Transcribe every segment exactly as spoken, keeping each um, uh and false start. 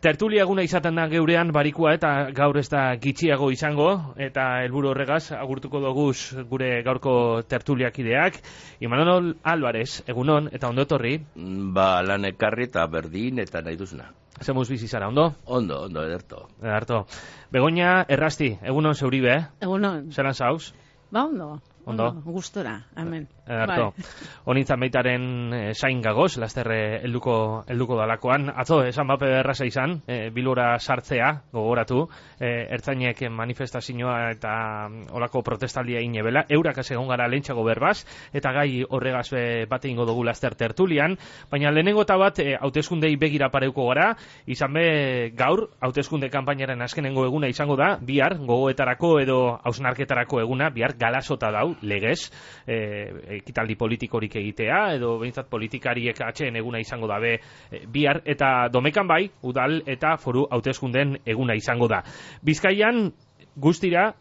Tertulia eguna izaten da geurean barikua eta gaur ez da gitxiago izango eta helburu horregaz agurtuko doguz gure gaurko tertuliakideak. Imanol Álvarez, egunon eta ondo etorri. Ba, lan ekarri eta berdin eta nahi duzuna. Zemuz bizi zara, ondo? Ondo, ondo, ederto. Ederto. Begoña Errasti, egunon zeuribe, eh? Egunon. Zeran zauz? Ba, ondo. Ondo? Gustora, hemen. Ederto. Honintzan baitaren eh, zain gagoz, lasterre helduko helduko dalakoan. Atzo, esan bape erraza izan, eh, bilora sartzea, gogoratu, eh, ertzainek manifestazioa eta olako protestaldia inebela, eurak egon gara lehentxago berbaz, eta gai horregaz eh, bate ingo dugu laster tertulian, baina lehenengo eta bat eh, hauteskundei begira pareuko gara, izan be gaur, hauteskunde kanpainaren azkenengo eguna izango da, bihar, gogoetarako edo hausnarketarako eguna, bihar galasota dau, legez, eh, ekitaldi politikorik egitea, edo behintzat politikariek atxeen eguna izango dabe e, bihar, eta domekan bai, udal eta foru hauteskunden eguna izango da. Bizkaian, guztira,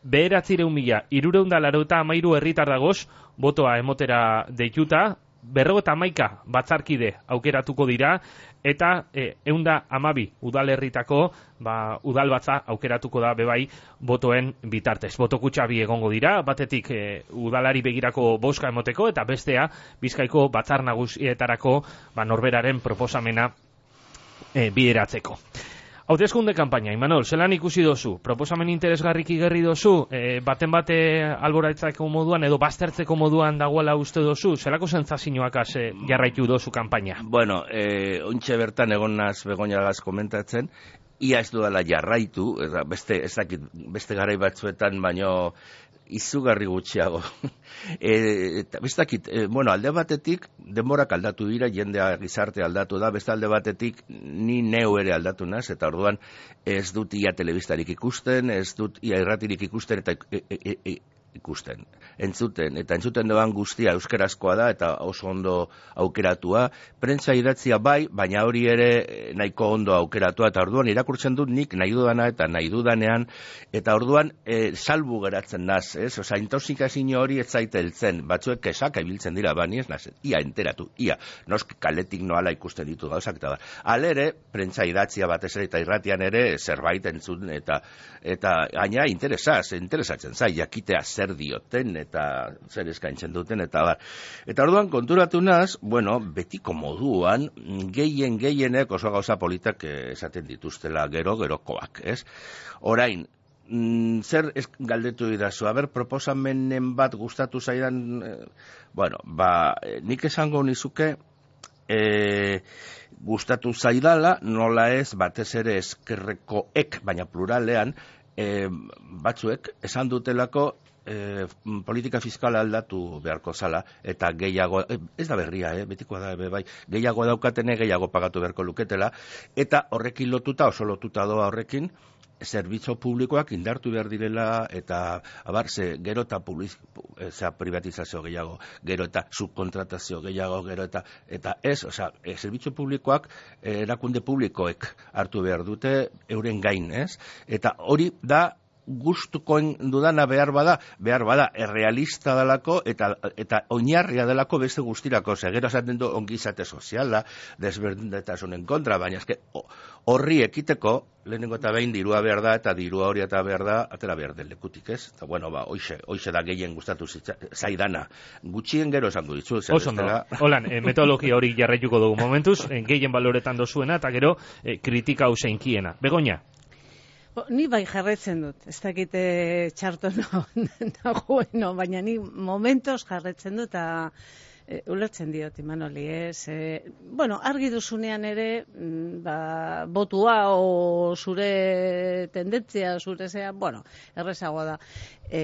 beheratzireun mila, irureunda larota amairu herritar dagoz, botoa emotera deituta, berrogeta hamaika batzarkide aukeratuko dira, eta e, eunda amabi udalerritako ba, udalbatza aukeratuko da bebai botoen bitartez. Botokutxa bi egongo dira, batetik e, udalari begirako boska emoteko, eta bestea Bizkaiko batzar nagusietarako ba, norberaren proposamena e, bideratzeko. Hauteskunde kanpaina, Imanol, zelan ikusi dozu? Proposamen interesgarrik igerri dozu? E, baten bate alboraitzako moduan edo baztertzeko moduan dagoela uste dozu? Zelako sentsazioak e, jarraitu dozu kanpaina? Bueno, eh, ontxe bertan egon naz Begoñagaz komentatzen, ia ez dudala jarraitu, beste, ez dakit, beste garai batzuetan, baino izugarri gutxiago. e, eta bestakit, e, bueno, alde batetik denborak aldatu dira, jendea gizarte aldatu da, beste alde batetik ni neu ere aldatu naz, eta orduan ez dut ia telebistarik ikusten, ez dut ia irratirik ikusten, eta e, e, e, ikusten, entzuten, eta entzuten doan guztia euskarazkoa da, eta oso ondo aukeratua, prentsa idatzia bai, baina hori ere nahiko ondo aukeratua, eta orduan irakurtzen dut nik nahi dudana eta nahi dudanean, eta orduan e, salbu geratzen naz, ez? Osa, intoxikazio hori ez zaite heltzen, batzuek kesak ibiltzen dira, bani ez naz, ia enteratu, ia, noski kaletik noala ikusten ditu gauzak, eta bar. Alere, prentsa idatzia batez ere, eta irratian ere zerbait entzun, eta, eta gaina interesaz, interesatzen zai, jakitea zer dioten eta zer eskaintzen duten eta bar. Eta orduan konturatu naz, bueno, betiko moduan gehien gehienek oso gauza politak esaten dituztela gero gerokoak, ez? Orain, mm, zer ez galdetu idazu, aber proposamenen bat gustatu zaidan, eh, bueno, ba, nik esango nizuke eh, gustatu zaidala, nola ez batez ere eskerrekoek, baina pluralean, eh, batzuek esan dutelako E, politika fiskala aldatu beharko zala, eta gehiago, e, ez da berria, eh, betikoa da, be, bai, gehiago daukatene, gehiago pagatu beharko luketela, eta horrekin lotuta, oso lotuta doa horrekin, zerbitzu publikoak indartu behar direla, eta abar, ze, gero eta e, privatizazio gehiago, gero eta subkontratazio gehiago, gero eta, eta ez, osea, e, zerbitzu publikoak, e, erakunde publikoek hartu behar dute, euren gain, ez? Eta hori da, gustukoen dudana behar bada, behar bada, errealista delako eta, eta oinarria delako beste guztirako, segero esaten du ongizate soziala, desberdintasunen kontra, baina eske horri ekiteko, lehenengo eta behin dirua behar da, eta dirua hori eta behar da, atera behar den lekutik, ez? Eta bueno, ba, hoixe, hoixe da gehien gustatu zaidana. Gutxien gero esango ditzu. Oso ondo, holan, e, metodologia hori jarraituko dugu momentuz, e, gehien baloretan dozuena, eta gero e, kritika hau zeinkiena. Begoña? Bo, ni bai jarretzen dut, ez dakite txarto nagoeno, baina ni momentos jarretzen dut, eta e, ulertzen diot, Imanoli, ez? E, bueno, argi duzunean ere, ba, botua o zure tendentzia, zure zea, bueno, errezagoa da, e,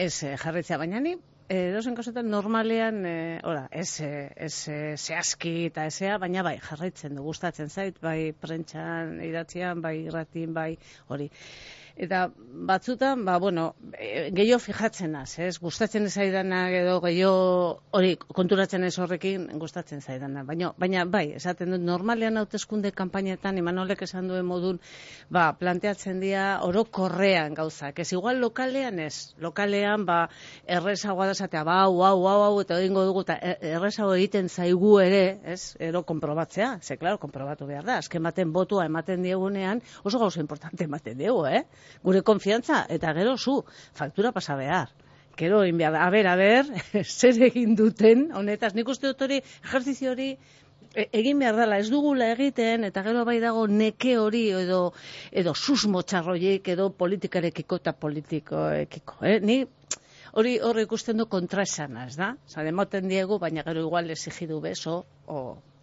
ez jarretzea, baina ni, edozen kosetan normalean, e, ora, ez, ez zehazki eta ezea, baina bai, jarraitzen du, gustatzen zait, bai prentxan idatzian, bai irratin, bai hori. Eta batzutan, ba, bueno, gehiago fijatzen az, ez? Gustatzen zaidana edo gehiago hori konturatzen ez horrekin gustatzen zaidana. Baina, baina bai, esaten dut, normalean hauteskunde kanpainetan, Imanolek esan duen modun, ba, planteatzen dira orokorrean gauzak. Ez igual lokalean ez. Lokalean, ba, errezagoa da zatea, ba, hau, hau, hau, hau, eta egingo dugu, eta errezago egiten zaigu ere, ez? Ero konprobatzea. Ze, klaro, konprobatu behar da. Azken baten botua ematen diegunean, oso gauza importante ematen diegu, eh? Gure konfiantza, eta gero zu, faktura pasa behar. Gero, egin behar, a ber, a ber, zer egin duten, honetaz, nik uste dut hori, ejerzizio hori, egin behar dela, ez dugula egiten, eta gero bai dago neke hori, edo, edo susmo txarroiek, edo politikarekiko eta politikoekiko, eh? Ni hori hori ikusten du kontraesana, ez da? Osa, demoten diegu, baina gero igual exigidu beso, o...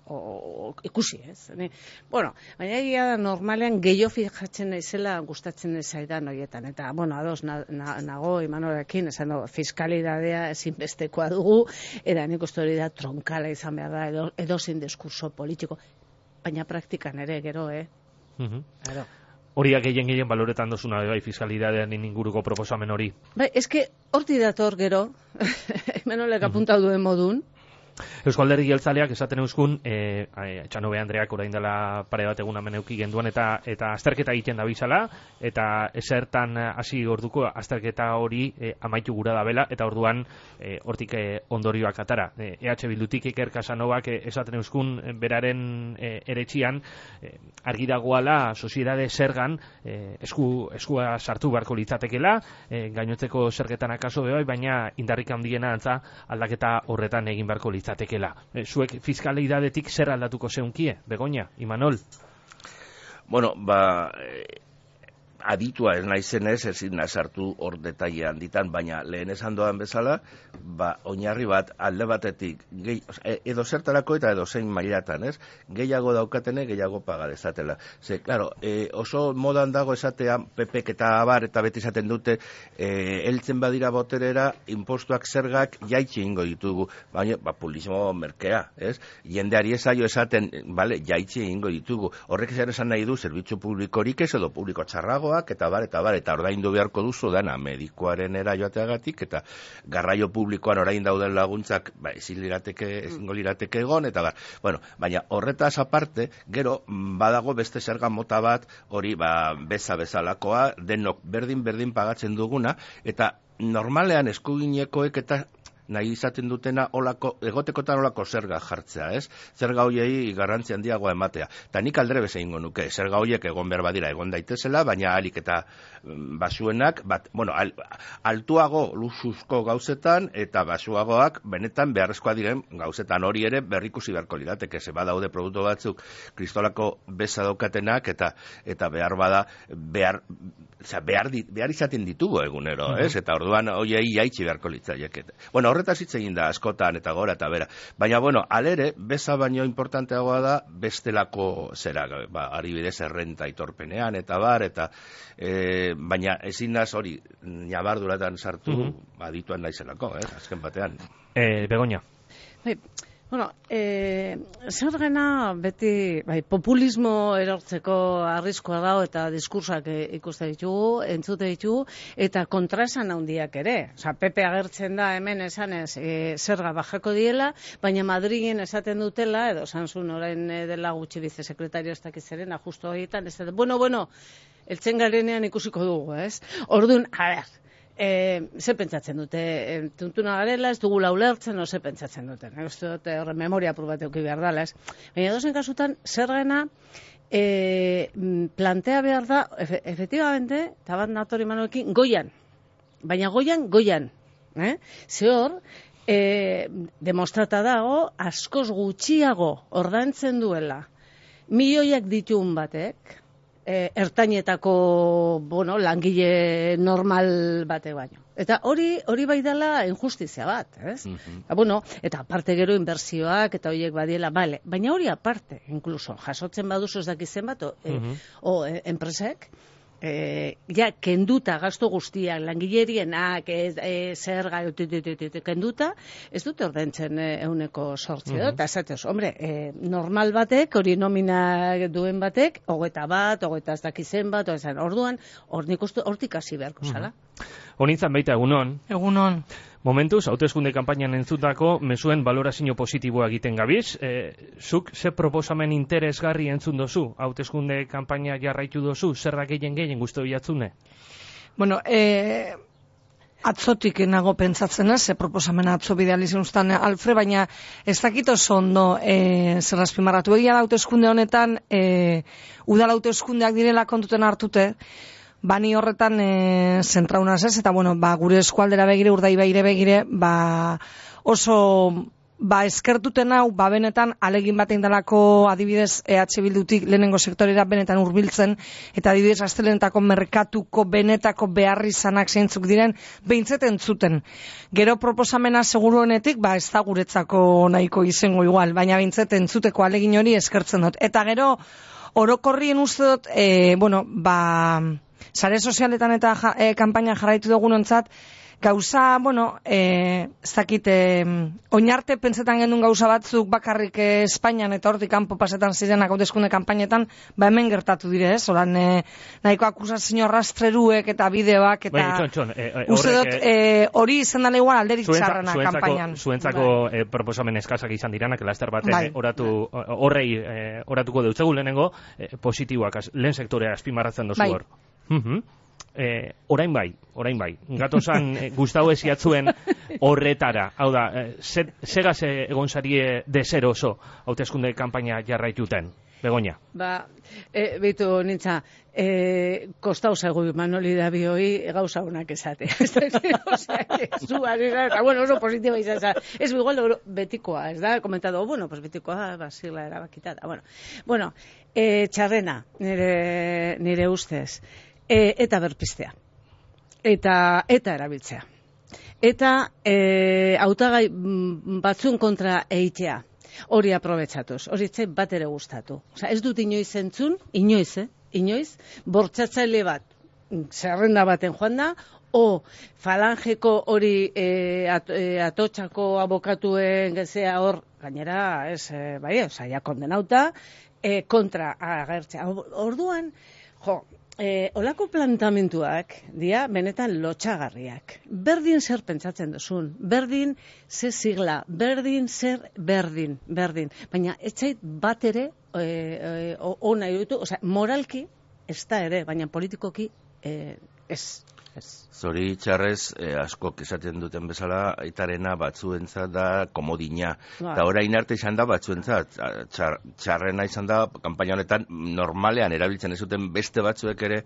O, ikusi, ez? Ni, bueno, baina egia da normalean gehiago fijatzen naizela gustatzen zaidan horietan. Eta, bueno, ados na, na, nago Imanolekin, esan dugu, fiskalidadea ezinbestekoa dugu, eta nik uste hori da tronkala izan behar da, edo, edo zein diskurso politiko. Baina praktikan ere, gero, eh? Uh-huh. Gero. Horiak gehien gehien baloretan dozuna, bai, fiskalidadean inguruko proposamen hori. Bai, eske, horti dator gero, Imanolek uh-huh. apuntatu duen modun, Eusko Alderdi Jeltzaleak esaten euskun, e, Etxanobe Andreak orain dela pare bat egun hemen eduki genduan, eta eta azterketa egiten da bizala, eta esertan hasi orduko azterketa hori e, amaitu gura da bela, eta orduan e, hortik e, ondorioak atara. E, E H Bildutik Iker Casanovak e, esaten euskun beraren e, eretxian, e, argi dagoala sozietate zergan e, esku, eskua sartu beharko litzatekela, e, gainotzeko zergetan akaso bebai, baina indarrik handiena antza aldaketa horretan egin beharko litzatekela. Zatekela. E, zuek fiskalidadetik zer aldatuko zeunkie, Begoña, Imanol? Bueno, ba, eh, aditua ez naizenez, ezin nazartu hor detaile handitan, baina lehen esan doan bezala, ba, oinarri bat alde batetik, gehi, edo zertarako eta edo zein mailatan, ez? Gehiago daukatene, gehiago paga dezatela. Ze, claro, e, oso modan dago esatea, pepek eta abar, eta beti esaten dute, e, heltzen badira boterera, impostuak zergak jaitsi ingo ditugu, baina, ba, publismo merkea, ez? Jendeari esaio esaten, bale, jaitsi ingo ditugu. Horrek zer esan nahi du, zerbitzu publikorik ez, edo publiko txarrago, eta bar, eta bar, eta ordaindu beharko duzu dana medikoaren era joateagatik, eta garraio publikoan orain dauden laguntzak, ba, ezin lirateke, ezingo lirateke egon, eta bar. Bueno, baina horretaz aparte, gero, badago beste zerga mota bat, hori, ba, beza bezalakoa, denok berdin-berdin pagatzen duguna, eta normalean eskuginekoek eta nahi izaten dutena olako, egotekotan olako zerga jartzea, ez? Zerga hoiei garrantzi handiagoa ematea. Ta nik aldre beze ingo nuke, zerga hoiek egon behar badira egon daitezela, baina alik eta basuenak, bat, bueno, al, altuago luxuzko gauzetan, eta basuagoak benetan beharrezkoa diren gauzetan hori ere berrikusi beharko lirateke, ze badaude produktu batzuk kristolako beza daukatenak, eta eta behar bada, behar, oza, behar, di, behar izaten ditugu egunero, ez? Eta orduan hoiei jaitsi beharko litzaiek. Bueno, horretaz hitz egin da askotan eta gora eta bera. Baina, bueno, alere, beza baino importanteagoa da bestelako zera, ba, adibidez errenta aitorpenean eta bar, eta e, baina ezin naz hori nabarduratan sartu, mm-hmm. adituan naizelako, eh, azken batean. Eh, Begoña. Bai, bueno, eh, zergena beti, bai, populismo erortzeko arriskoa dago eta diskursak ikuste ditugu, entzute ditugu, eta kontraesan handiak ere. Osa, Pepe agertzen da hemen esanez e, zerga bajako diela, baina Madrilen esaten dutela, edo Sansun orain dela gutxi bizesekretario ez dakizerena, justo horietan, ez da, bueno, bueno, eltzen garenean ikusiko dugu, ez? Orduan, a ber, E, ze pentsatzen dute, e, tuntuna garela, ez dugula ulertzen, no ze pentsatzen duten. Ez dute horre memoria probate uki behar dala, ez. Baina dozen kasutan, zergena e, plantea behar da, efe, efectivamente, eta bat natori Manuekin, goian. Baina goian, goian. Eh? Ze hor, e, demostrata dago, askoz gutxiago ordaintzen duela, milioiak ditun batek, ertainetako, bueno, langile normal bate baino. Eta hori hori bai dela injustizia bat, ez? Uh-huh. Eta, bueno, eta aparte gero inbertsioak eta horiek badiela, bale, baina hori aparte, incluso, jasotzen baduzu ez dakizen bat, o, uh-huh. e, o e, enpresek, E, ja, kenduta gastu guztiak, langilerienak, e, e, zerga, kenduta, ez dute ordaintzen euneko sortzi, mm-hmm. eta esatez, hombre, e, normal batek, hori nomina duen batek, hogeita bat, hogeita ez dakizen bat, orduan, hor nik uste hortik hasi beharko zala. Mm-hmm. Honintzan baita, egunon. Egunon. Momentuz, hauteskunde kanpainan entzutako mezuen valorazio positiboa egiten gabiz. E, zuk, ze proposamen interesgarri entzun dozu? Hauteskunde kanpaina jarraitu dozu? Zer da gehien gehien guztu bilatzune? Bueno, e, atzotik nago pentsatzen ez, ze proposamena atzo bidealizun ustan Alfre, baina ez dakit oso ondo e, zer azpimarratu. Egia da hauteskunde honetan, e, udal hauteskundeak direla kontuten hartute, bani horretan e, zentraunaz ez, eta bueno, ba, gure eskualdera begire, Urdaibaire begire, ba, oso ba, eskertuten hau, ba, benetan alegin batein dalako adibidez E H Bildutik lehenengo sektorera benetan hurbiltzen, eta adibidez astelenetako merkatuko benetako beharri izanak zeintzuk diren, behintzeten zuten. Gero proposamena seguruenetik, ba, ez da guretzako nahiko izango igual, baina behintzeten zuteko alegin hori eskertzen dut. Eta gero, orokorrien uste dut, e, bueno, ba, sare sozialetan eta ja, e, kanpaina jarraitu dugunontzat, gauza, bueno, e, ez dakit, e, oinarte pentsetan gendun gauza batzuk bakarrik e, Espainian eta hortik kanpo pasetan zirenak hauteskunde kanpainetan, ba hemen gertatu dire, ez? Horan, e, nahiko akusazio rastreruek eta bideoak, eta bai, txon, txon, e, e, uste dut, e, hori izan dela igual alderik txarrena kanpainan. Zuentzako bai. e, proposamen eskasak izan diranak, laster baten bai. oratu, horrei e, oratuko deutzegu lehenengo, e, positiboak, lehen sektorea azpimarratzen dozu bai. hor. Mhm. Eh, orain bai, orain bai. Gatozan eh, Gustavo esiatzuen horretara. Hau da, eh, segaz eh, egon zarie desero oso hauteskunde kanpaina jarraituten. Begoña. Ba, e, beitu nintza, e, kostau zaigu Manoli da bioi gauza honak esate. Osea, zu arira, eta bueno, oso positiba izan za. Ez igual betikoa, ez da, komentado, bueno, pues betikoa, basila erabakitada. Bueno, bueno e, txarrena, nire, nire ustez. E, eta berpistea. Eta, eta erabiltzea. Eta e, hautagai batzun kontra eitea. Hori aprobetsatuz. Hori etxe bat ere gustatu. Osa, ez dut inoiz entzun, inoiz, eh? Inoiz, bortzatzaile bat, zerrenda baten joan da, o falangeko hori e, at, e, atotxako abokatuen gezea hor, gainera, ez, e, bai, osa, ja kondenauta, e, kontra agertzea. Orduan, jo, E, olako plantamentuak dia benetan lotxagarriak. Berdin zer pentsatzen duzun, berdin ze sigla, berdin zer berdin, berdin. Baina etxait bat ere e, e, ona irutu, osea, moralki ez da ere, baina politikoki e, ez. Zori txarrez, eh, askok esaten duten bezala, aitarena batzuentzat da komodina. Ba. Eta orain arte izan da batzuentzat, txar, txarrena izan da, kanpaina honetan normalean erabiltzen ez duten beste batzuek ere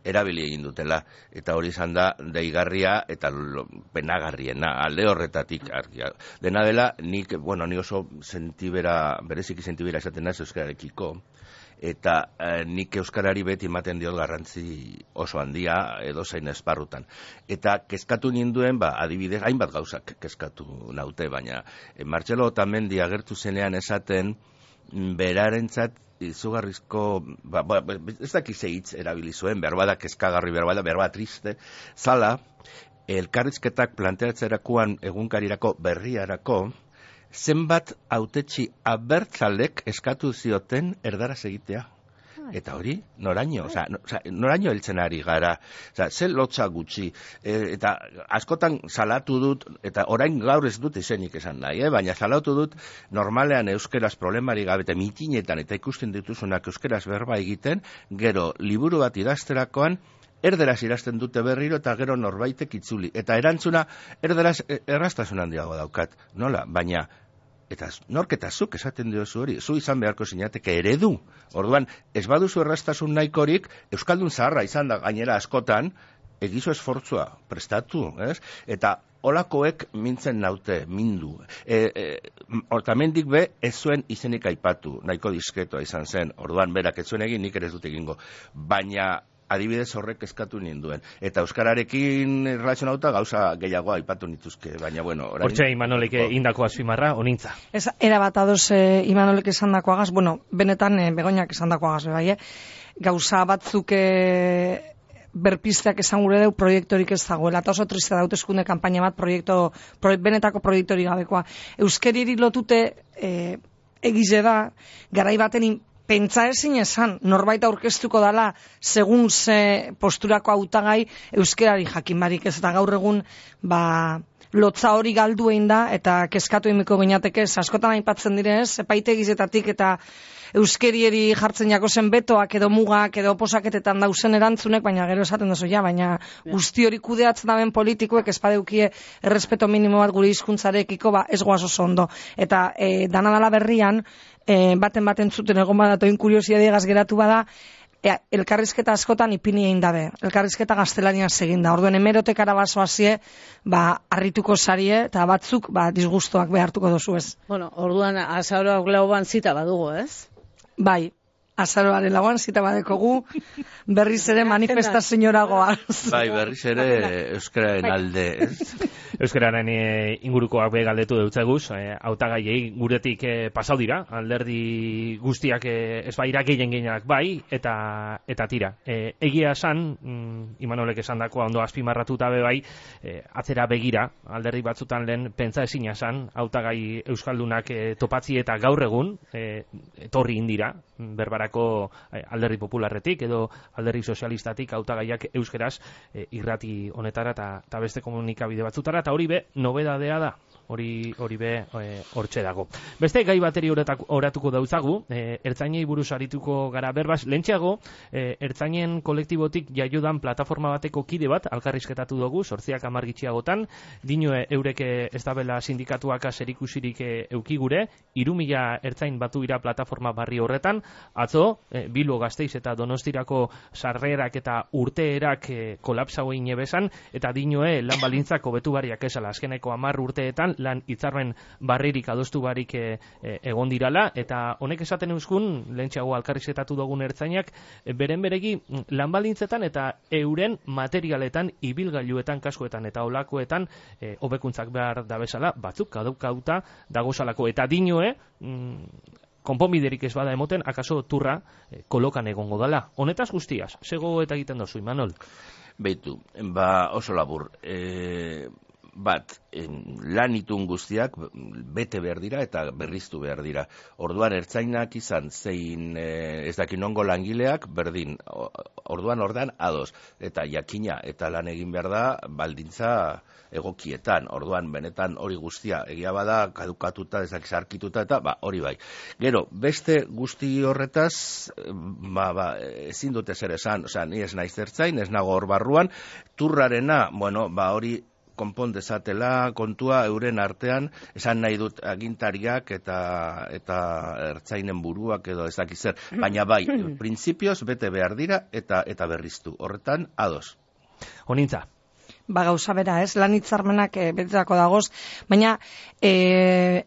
erabili egin dutela. Eta hori izan da deigarria eta lo, penagarriena, alde horretatik argia. Dena dela, nik, bueno, ni oso sentibera, bereziki sentibera esaten naiz euskararekiko, eta eh, nik euskarari beti ematen diot garrantzi oso handia edo zein esparrutan. Eta kezkatu ninduen, ba, adibidez, hainbat gauzak kezkatu naute, baina eh, Martxelo Otamendi agertu zenean esaten berarentzat izugarrizko, ba, ba, ez dakize hitz erabili zuen, berbada kezkagarri, berbada, berbada triste, zala, elkarrizketak planteatzerakoan egunkarirako berriarako, zenbat hautetsi abertzalek eskatu zioten erdaraz egitea. Eta hori, noraino, oza, no, oza, noraino heltzen ari gara, oza, ze lotza gutxi, e, eta askotan salatu dut, eta orain gaur ez dut izenik esan nahi, eh? Baina salatu dut normalean euskeraz problemari gabe, eta mitinetan, eta ikusten dituzunak euskeraz berba egiten, gero liburu bat idazterakoan, erderaz idazten dute berriro eta gero norbaitek itzuli. Eta erantzuna erderaz erraztasun handiago daukat, nola, baina eta norketazuk esaten diozu hori, zu izan beharko zinateke eredu. Orduan, ez baduzu erraztasun nahikorik, euskaldun zaharra izan da gainera askotan, egizu esfortzua, prestatu, ez? Eta olakoek mintzen naute, mindu. E, e, Otamendik be, ez zuen izenik aipatu, nahiko diskretoa izan zen. Orduan, berak ez zuen egin, nik ere ez dut egingo. Baina adibidez horrek eskatu ninduen. Eta euskararekin erlazionauta gauza gehiago aipatu nituzke, baina bueno... Orain... Hortxe Imanolek indako azpimarra, onintza. Ez, era bat adoz eh, Imanolek esan dakoagaz, bueno, benetan eh, Begoñak esan dakoagaz, bai, eh? Gauza batzuk eh, berpisteak esan gure deu proiektorik ez dagoela, eta oso triste da hauteskunde kanpaina bat proiektu, pro, benetako proiektorik gabekoa. Euskeriri lotute e, egize da, garai baten pentsa ezin esan, norbait aurkeztuko dala segun ze posturako hautagai euskerari jakin barik ez, eta gaur egun ba, lotza hori galdu egin da, eta kezkatu emiko ginateke, askotan aipatzen direz, epaitegizetatik eta euskerieri jartzen jako zen betoak edo mugak edo oposaketetan dauzen erantzunek, baina gero esaten duzu, ja, baina guzti hori kudeatzen daben politikoek espadeukie errespeto minimo bat gure hizkuntzarekiko, ba, ez goaz oso ondo. Eta e, danadala berrian, e, baten baten zuten egon badatoin kuriosiadiegaz geratu bada, e, elkarrizketa askotan ipini egin dabe. Elkarrizketa gaztelania egin da. Orduen hemerotekara baso hasie, ba, harrituko sarie, eta batzuk, ba, disgustoak behartuko dozu ez. Bueno, orduan azaroak lauan zita badugu, ez? Bai, azaroaren lauan zita badekogu, berriz ere manifestazioragoa. Bai, berriz ere euskararen alde, ez? Euskararen e, ingurukoak be galdetu deutzeguz, e, hautagaiei guretik e, pasau dira, alderdi guztiak e, ez baira gehien gehienak bai, eta eta tira. E, egia esan, mm, Imanolek esan dakoa ondo azpimarratuta be bai, e, atzera begira, alderdi batzutan lehen pentsa ezina esan, hautagai euskaldunak e, topatzi eta gaur egun, e, etorri indira, berbarako e, alderdi popularretik edo alderdi sozialistatik hautagaiak euskeraz e, irrati honetara eta beste komunikabide batzutara, eta hori be, nobedadea da, hori hori be hortxe e, dago. Beste gai bateri oratuko dautzagu, e, ertzainei buruz arituko gara berbaz, lentxeago, e, ertzainen kolektibotik jaiodan plataforma bateko kide bat, alkarrizketatu dugu, sortziak hamar gitxiagotan, dinoe eureke ez dabela sindikatuak zerikusirik e, eukigure, hiru mila ertzain batu ira plataforma barri horretan, atzo, e, Bilbo Gasteiz eta Donostirako sarrerak eta urteerak e, kolapsau egin ebesan, eta dinoe lan balintzak hobetu bariak esala, azkeneko hamar urteetan lan hitzarmen barririk adostu barik e, e, egon dirala, eta honek esaten euskun, lehentxeago alkarrizketatu dugun ertzainak, e, beren beregi lan balintzetan eta euren materialetan, ibilgailuetan, kaskoetan eta olakoetan e, hobekuntzak behar dabezala, batzuk kadukauta dagozalako, eta dinoe, mm, konponbiderik ez bada emoten, akaso turra eh, kolokan egongo dala. Honetaz guztiaz, sego eta egiten dozu, Imanol? Beitu, ba oso labur. E, bat, en, lan itun guztiak bete behar dira eta berriztu behar dira. Orduan ertzainak izan zein e, ez dakin ongo langileak berdin. Orduan ordan ados. Eta jakina eta lan egin behar da baldintza egokietan. Orduan benetan hori guztia egia bada kadukatuta, ezak sarkituta eta ba hori bai. Gero, beste guzti horretaz ba, ba, ezin dute zer esan, osea, ni ez naiz ertzain, ez nago hor barruan, turrarena, bueno, ba hori konpon dezatela kontua euren artean, esan nahi dut agintariak eta eta ertzainen buruak edo ez dakiz zer, baina bai, printzipioz bete behar dira eta eta berriztu. Horretan ados. Honintza. Ba gauza bera, ez, lan hitzarmenak e, betetako dagoz, baina e,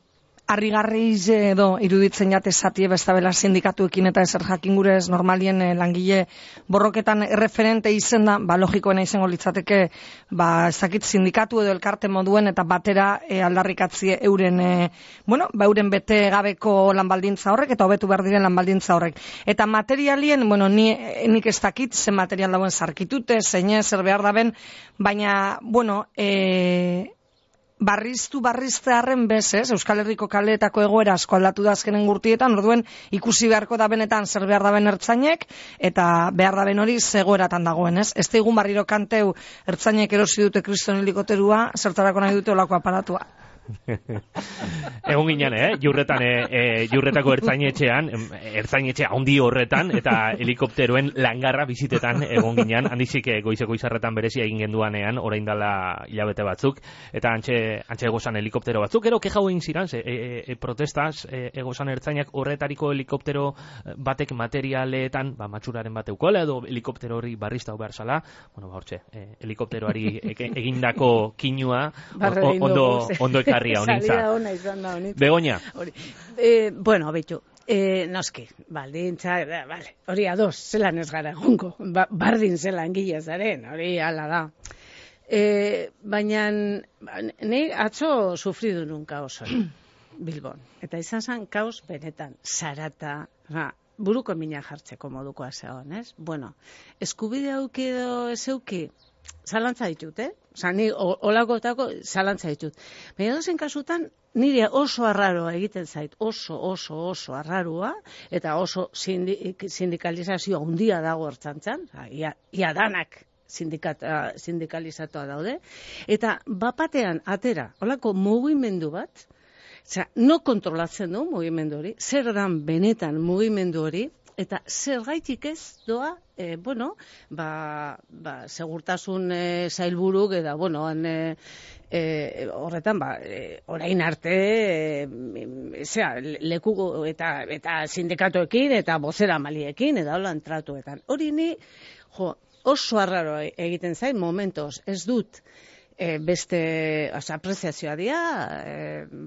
harrigarriz edo iruditzen jate zatie bestabela sindikatuekin eta ezer jakin gure ez normalien e, langile borroketan erreferente izen da, ba logikoena izango litzateke, ba ez dakit sindikatu edo elkarte moduen eta batera e, aldarrikatzie euren e, bueno, ba euren bete gabeko lanbaldintza horrek eta hobetu behar diren lanbaldintza horrek. Eta materialien, bueno, ni, nik ez dakit zen material dauen sarkitute, zein zer behar daben, baina, bueno, e, barriztu barrizte harren bez, ez? Euskal Herriko kaleetako egoera asko aldatu da azkenen gurtietan, orduen ikusi beharko da benetan zer behar daben ertzainek, eta behar daben hori zegoeratan dagoen, ez? Ez teigun barriro kanteu ertzainek erosi dute kriston helikopterua, zertarako nahi dute olako aparatua. Egon ginen, eh? Jurretan, eh, eh, jurretako ertzainetxean, ertzainetxe handi horretan, eta helikopteroen langarra bizitetan egon ginen, handizik eh, goizeko izarretan berezia egin genduanean, orain dala hilabete batzuk, eta antxe, antxe egozan helikoptero batzuk, gero keja egin ziren, e, e, e, protestaz, e, egozan ertzainak horretariko helikoptero batek materialetan, ba, matxuraren bat eukola, edo helikoptero hori barrizta behar zala, bueno, ba, hortxe, eh, helikopteroari egindako kinua, ondo, ondo eka Salida ona izan da honitza. Begoña. Eh, bueno, betu, eh, noski, baldintza, vale, hori ados, zelan ez gara egongo, ba, bardin zelan gila zaren, hori ala da. Eh, baina, nahi atzo sufridu nun kaos hori, Bilbon. Eta izan zen kaos benetan, zarata, buruko mina jartzeko modukoa zegoen, ez? Bueno, eskubide auki edo ez euki, zalantza ditut, eh? Osa, ni olakotako zalantza ditut. Baina dozen kasutan, nire oso arraroa egiten zait, oso, oso, oso arraroa, eta oso sindik, sindikalizazioa handia dago ertzantzan, ia, ia danak sindikalizatua daude, eta bapatean atera, olako mugimendu bat, osea, no kontrolatzen du mugimendu hori, zer dan benetan mugimendu hori, eta zergaitik ez doa, e, bueno, ba, ba, segurtasun e, zailburuk, eta, bueno, han, e, e, horretan, ba, e, orain arte, e, zera, leku eta, eta sindikatoekin, eta bozera maliekin, eta holan tratuetan. Hori ni, jo, oso arraro egiten zain, momentos, ez dut, e, beste, oza, apreziazioa dia, e,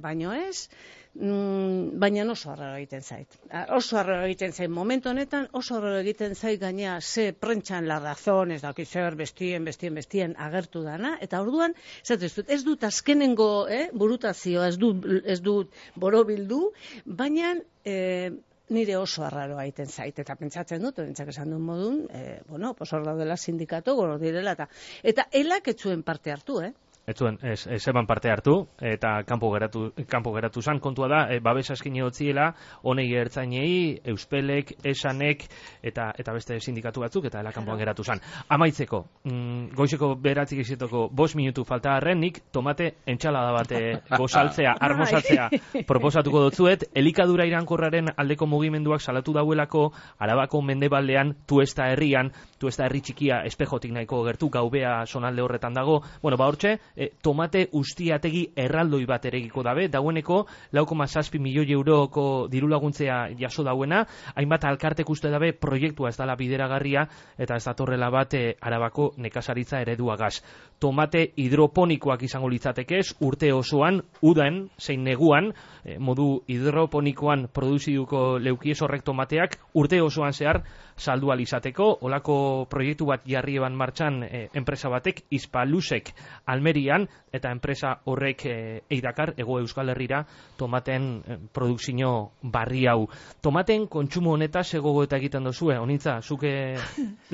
baino ez, Mm, baina oso arraro egiten zait. Oso arraro egiten zait momentu honetan, oso arraro egiten zait gaina ze prentxan la razón, ez daki zer, bestien, bestien, bestien agertu dana, eta orduan, ez dut, ez dut azkenengo eh, burutazioa, ez dut, ez dut borobildu, baina eh, nire oso arraroa egiten zait, eta pentsatzen dut, orentzak esan duen modun, eh, bueno, pues hor daudela sindikatu, goro direla, eta, eta elak etzuen parte hartu, eh? Ez zuen, ez, ez eban parte hartu, eta kanpo geratu, kanpo geratu zan, kontua da, e, babesa eskine hotziela, honei ertzainei, Euspelek, Esanek, eta eta beste sindikatu batzuk, eta ela kanpoan geratu zan. Amaitzeko, mm, goizeko beratzik izetoko bost minutu falta harren, nik tomate entxalada bate gozaltzea, armozatzea proposatuko dutzuet, elikadura irankorraren aldeko mugimenduak salatu dauelako, Arabako mendebaldean, Tuesta herrian, Tuesta herri txikia espejotik nahiko gertu, gaubea sonalde horretan dago, bueno, ba hortxe, E, tomate ustiategi erraldoi bat eregiko dabe, daueneko lau koma zazpi milioi euroko dirulaguntzea jaso dauena, hainbat alkartek uste dabe proiektua ez dala bideragarria, eta ez datorrela bat e, Arabako nekazaritza ereduagaz. Tomate hidroponikoak izango litzatekez, urte osoan, udan, zein neguan, e, modu hidroponikoan produziduko leukiez horrek tomateak, urte osoan zehar saldu alizateko, olako proiektu bat jarri eban martxan e, enpresa batek, Hispalusek Almerian, eta enpresa horrek e, eidakar, ego Euskal Herrira, tomaten e, produkzio barri hau. Tomaten kontsumo honetaz egogo eta egiten dozu, eh? Honintza, zuke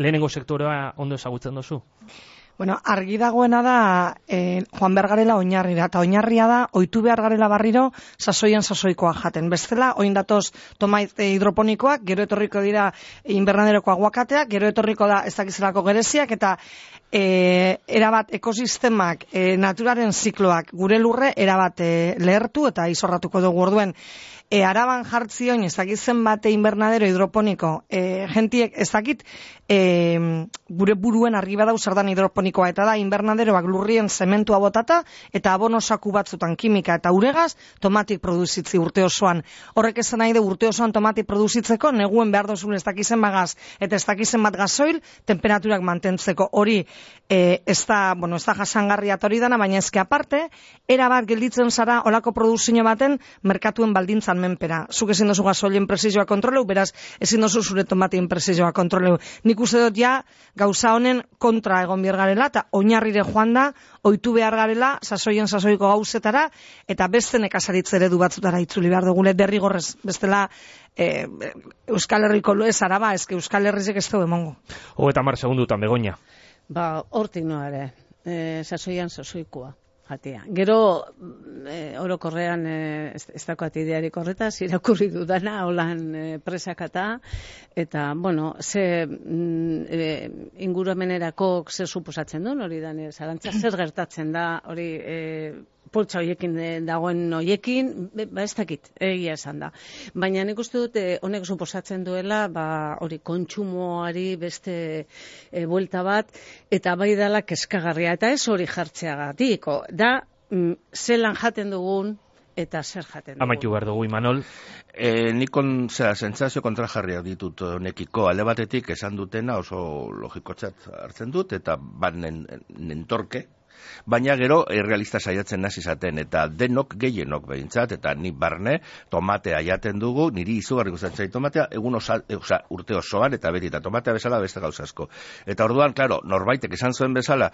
lehenengo sektorea ondo ezagutzen dozu? Bueno, argi dagoena da eh, joan behar garela oinarrira, eta oinarria da ohitu behar garela barriro sasoian sasoikoa jaten. Bestela, oin datoz tomate hidroponikoak, gero etorriko dira invernaderoko aguakateak, gero etorriko da ez dakizelako gereziak, eta e, erabat ekosistemak, e, naturaren zikloak gure lurre erabat e, lehertu eta izorratuko dugu orduen. E, Araban jartzioin ez dakit zenbate invernadero hidroponiko, e, gentiek ez dakit e, gure buruen argi badau zer dan hidroponikoa, eta da invernaderoak lurrien zementua botata eta abonosaku batzutan kimika eta uregaz tomatik produzitzi urte osoan. Horrek esan nahi de urte osoan tomatik produzitzeko neguen behar dozun ez dakizen bagaz eta ez dakizen bat gasoil temperaturak mantentzeko. Hori e, ez da, bueno, ez da jasangarria hori dana, baina ezke aparte erabat gelditzen zara olako produzio baten merkatuen baldintzan menpera. Zuk ezin dozu gasolien presioa kontroleu, beraz ezin dozu zure tomatien presioa kontroleu. Nik uste dut ja gauza honen kontra egon behar garela, eta oinarrire joan da, ohitu behar garela, sasoien sasoiko gauzetara, eta beste nekazaritze eredu batzutara itzuli behar dugule derrigorrez, bestela e, Euskal Herriko loez araba, ezke Euskal Herrizek ez dugu emongo. Hogeta mar segundutan, Begoña. Ba, hortik noa ere, e, sasoian sasoikoa. Jatia. Gero, e, orokorrean, e, ez, ez dakoat idearik horretaz, irakurri dudana, holan e, presakata, eta, bueno, ze mm, e, inguramenerako zer suposatzen duen, hori da, zarantza zer gertatzen da, hori e, poltsa hoiekin dagoen hoiekin, ba ez dakit, egia esan da. Baina nik uste dut, honek suposatzen duela, ba, hori kontsumoari beste e, buelta bat, eta bai dela keskagarria, eta ez hori jartzeagatik, da, mm, zelan jaten dugun, eta zer jaten dugun. Amaitu behar dugu, Imanol. E, nikon, zera, sentsazio kontrajarriak ditut honekiko, alde batetik esan dutena oso logikotzat hartzen dut, eta bat nentorke, baina gero errealista saiatzen naz izaten, eta denok gehienok behintzat, eta ni barne tomatea jaten dugu, niri izugarri gustatzen tomatea, egun osa, osa, urte osoan, eta beti, eta tomatea bezala beste gauzasko. Eta orduan, klaro, norbaitek esan zuen bezala,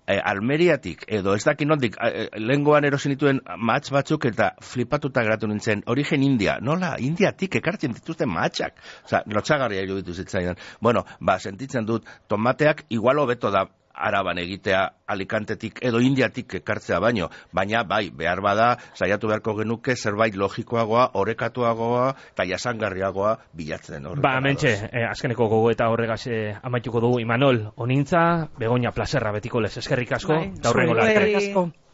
eh, Almeriatik, edo ez dakin nondik, eh, lehengoan erosin dituen matx batzuk, eta flipatuta geratu nintzen, origen India, nola, Indiatik ekartzen dituzten matxak, oza, lotxagarria iruditu zitzaidan. Bueno, ba, sentitzen dut, tomateak igual hobeto da Araban egitea Alicantetik edo Indiatik ekartzea baino, baina bai, behar bada, saiatu beharko genuke zerbait logikoagoa, orekatuagoa eta jasangarriagoa bilatzen. Ba, mentxe, eh, azkeneko gogo eta horregaz eh, amaituko dugu Imanol, onintza, Begoña plazerra betiko lez, eskerrik asko, bai, eta horrengo bai. larte.